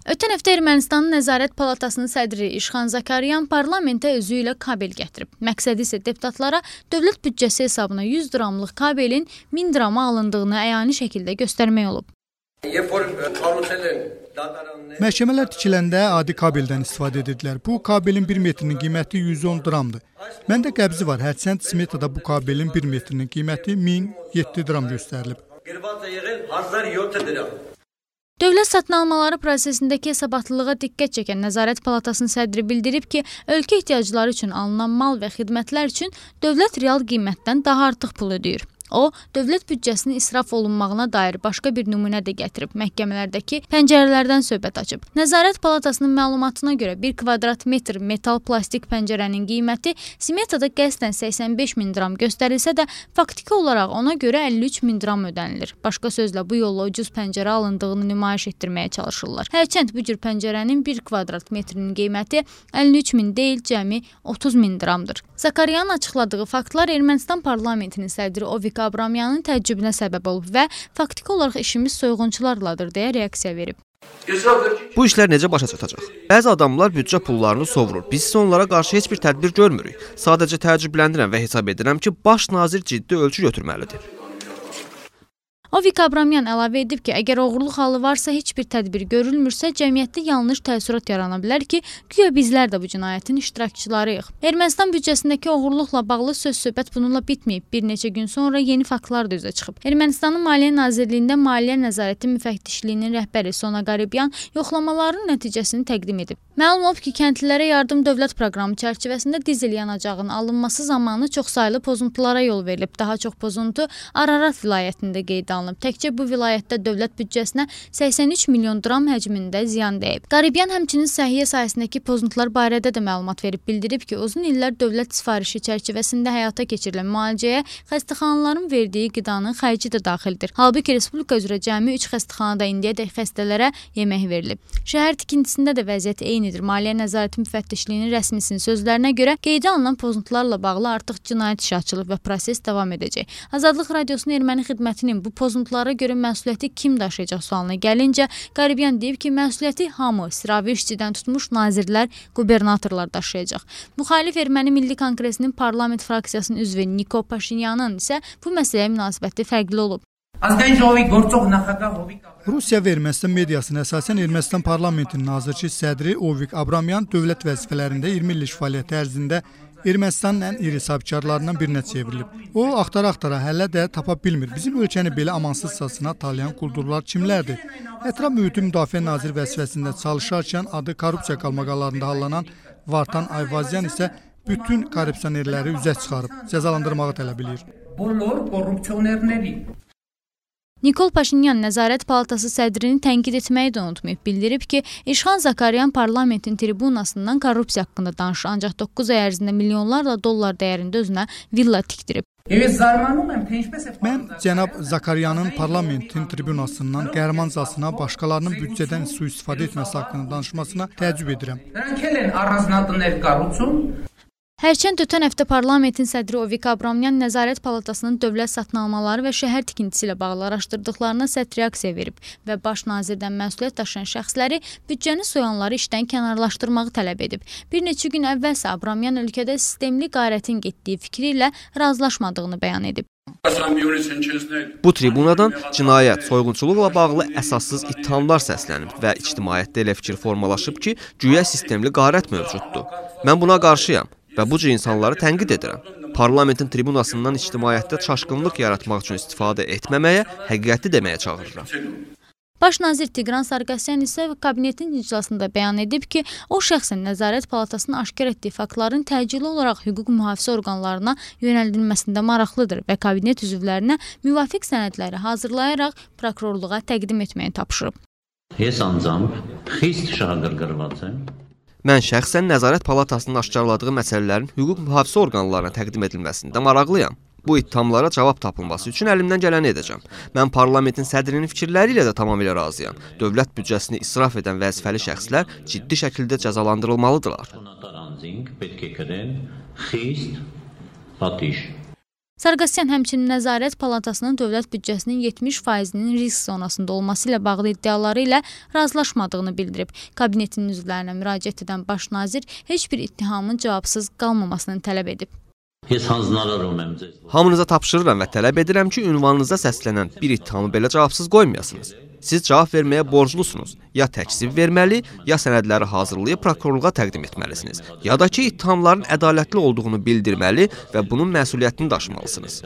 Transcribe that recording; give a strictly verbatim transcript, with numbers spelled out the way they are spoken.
Ötən həftə Ermənistanın Nəzarət Palatasının sədri İşxan Zakaryan parlamentə özü ilə kabel gətirib. Məqsədi isə deputatlara dövlət büdcəsi hesabına yüz dramlıq kabelin min drama alındığını əyani şəkildə göstərmək olub. Məhkəmələr tikiləndə adi kabeldən istifadə edirdilər. Bu kabelin bir metrinin qiyməti yüz on dramdır. Məndə qəbzi var. Hərçənd smetada bu kabelin bir metrinin qiyməti min yeddi dram göstərilib. Dövlət satın almaları prosesindəki hesabatlılığa diqqət çəkən Nəzarət Palatasının sədri bildirib ki, ölkə ehtiyacları üçün alınan mal və xidmətlər üçün dövlət real qiymətdən daha artıq pul ödəyir. O, dövlət büdcəsinin israf olunmağına dair başqa bir nümunə də gətirib, məhkəmələrdəki pəncərələrdən söhbət açıb. Nəzarət Palatasının məlumatına görə bir kvadrat metr metal plastik pəncərənin qiyməti smetada qəsdən səksən beş min dram göstərilsə də, faktiki olaraq ona görə əlli üç min dram ödənilir. Başqa sözlə, bu yolla ucuz pəncərə alındığını nümayiş etdirməyə çalışırlar. Hərçənd bu cür pəncərənin bir kvadrat metrinin qiyməti əlli üç min deyil, cəmi otuz min dramdır. Zakaryanın açıqladığı faktlar Ermənistan parlamentinin sədri Ovik Abramyanın təəccübünə səbəb olub və faktiki olaraq işimiz soyğunçularladır deyə reaksiya verib. Bu işlər necə başa çatacaq? Bəzi adamlar büdcə pullarını sovurur. Biz isə onlara qarşı heç bir tədbir görmürük. Sadəcə təəccübləndirəm və hesab edirəm ki, baş nazir ciddi ölçü götürməlidir. Ovik Abramyan əlavə edib ki, əgər oğurluq halı varsa, heç bir tədbir görülmürsə, cəmiyyətdə yanlış təəssürat yarana bilər ki, güya bizlər də bu cinayətin iştirakçılarıyıq. Ermənistan büdcəsindəki oğurluqla bağlı söz-söhbət bununla bitməyib. Bir neçə gün sonra yeni faktlar da üzə çıxıb. Ermənistanın Maliyyə Nazirliyində Maliyyə Nəzarəti Müfəttişliyinin rəhbəri Sona Qaribyan yoxlamaların nəticəsini təqdim edib. Məlum olub ki, kəndlilərə yardım dövlət proqramı çərçivəsində dizel yanacağının alınması zamanı çoxsaylı pozuntulara yol verilib. Daha çox pozuntu Ararat vilayətində qeydə alınıb. Təkcə bu vilayətdə dövlət büdcəsinə səksən üç milyon dram həcmində ziyan dəyib. Qaribyan həmçinin səhiyyə sahəsindəki pozuntular barədə də məlumat verib, bildirib ki, uzun illər dövlət sifarişi çərçivəsində həyata keçirilən müalicəyə xəstəxanaların verdiyi qidanın xərci də daxildir. Halbuki Respublika üzrə cəmi üç xəstəxanada indiyədək xəstələrə yemək verilib. Şəhər tikintisində də vəziyyət eynidir. Maliyyə Nəzarəti Müfəttişliyinin rəsmisinin sözlərinə görə qeydə alınan pozuntularla bağlı artıq cinayət işi açılıb və proses davam edəcək. Azadlıq Radiosunun erməni xidmətinin bu pozuntulara görə məsuliyyəti kim daşıyacaq sualına gəlincə, Qaribyan deyib ki, məsuliyyəti hamı, sıravi işçidən tutmuş nazirlər, qubernatorlar daşıyacaq. Müxalif Erməni Milli Konqresinin parlament fraksiyasının üzvü Nikol Paşinyanın isə bu məsələyə münasibəti fərqli olub. Rusiya və Ermənistan mediasına əsasən Ermənistan parlamentinin nazirçi sədri Ovik Abramyan dövlət vəzifələrində iyirmi illik fəaliyyəti ərzində Ermənistanın ən iri sahibkarlarından birinə çevrilib. O, axtara-axtara hələ də tapa bilmir. Bizim ölkəni belə amansızcasına talayan quldurlar kimlərdir? Ətraf mühiti müdafiə nazir vəzifəsində çalışarkən adı korrupsiya qalmaqalarında hallanan Vartan Ayvazyan isə bütün korrupsionerləri üzə çıxarıb, cəzalandırmağı tələb edir. Nikol Paşinyan Nəzarət Palatası sədrini tənqid etməyi də unutmayıb, bildirib ki, İşxan Zakaryan parlamentin tribunasından korrupsiya haqqında danışır, ancaq doqquz ay ərzində milyonlarla dollar dəyərində özünə villa tikdirib. Mən cənab Zakaryanın parlamentin tribunasından qəhrəmancasına başqalarının büdcədən sui-istifadə etməsi haqqında danışmasına təəccüb edirəm. Hərçənd ötən həftə parlamentin sədri Ovik Abramyan Nəzarət Palatasının dövlət satın almaları və şəhər tikintisi ilə bağlı araşdırdıqlarına sərt reaksiya verib və baş nazirdən məsuliyyət daşıyan şəxsləri büdcəni soyanları işdən kənarlaşdırmağı tələb edib. Bir neçə gün əvvəlsə Abramyan ölkədə sistemli qarətin getdiyi fikri ilə razılaşmadığını bəyan edib. Bu tribunadan cinayət, soyğunçuluqla bağlı əsassız ittihamlar səslənib və ictimaiyyətdə elə fikir formalaşıb ki, güya sistemli qarət mövcuddur. Mən buna qarşıyam və bu cür insanları tənqid edirəm. Parlamentin tribunasından ictimaiyyətdə çaşqınlıq yaratmaq üçün istifadə etməməyə, həqiqəti deməyə çağırıram. Baş nazir Tigran Sarkisyan isə kabinetin iclasında bəyan edib ki, o şəxsən Nəzarət Palatasının aşkar etdiyi faktların təcili olaraq hüquq mühafizə orqanlarına yönəldilməsində maraqlıdır və kabinet üzvlərinə müvafiq sənədləri hazırlayaraq prokurorluğa təqdim etməyi tapşırıb. Mən şəxsən Nəzarət Palatasının aşkarladığı məsələlərin hüquq mühafizə orqanlarına təqdim edilməsində maraqlıyam. Bu ittihamlara cavab tapılması üçün əlimdən gələni edəcəm. Mən parlamentin sədrinin fikirləri ilə də tamamilə razıyam. Dövlət büdcəsini israf edən vəzifəli şəxslər ciddi şəkildə cəzalandırılmalıdırlar. Sarkisyan həmçinin Nəzarət Palatasının dövlət büdcəsinin yetmiş faizinin risk zonasında olması ilə bağlı iddiaları ilə razılaşmadığını bildirib. Kabinetinin üzvlərinə müraciət edən baş nazir heç bir ittihamın cavabsız qalmamasını tələb edib. Hamınıza tapşırıram və tələb edirəm ki, ünvanınıza səslənən bir ittihamı belə cavabsız qoymayasınız. Siz cavab verməyə borclusunuz. Ya təkzib verməli, ya sənədləri hazırlayıb prokurorluğa təqdim etməlisiniz. Ya da ki, ittihamların ədalətli olduğunu bildirməli və bunun məsuliyyətini daşımalısınız.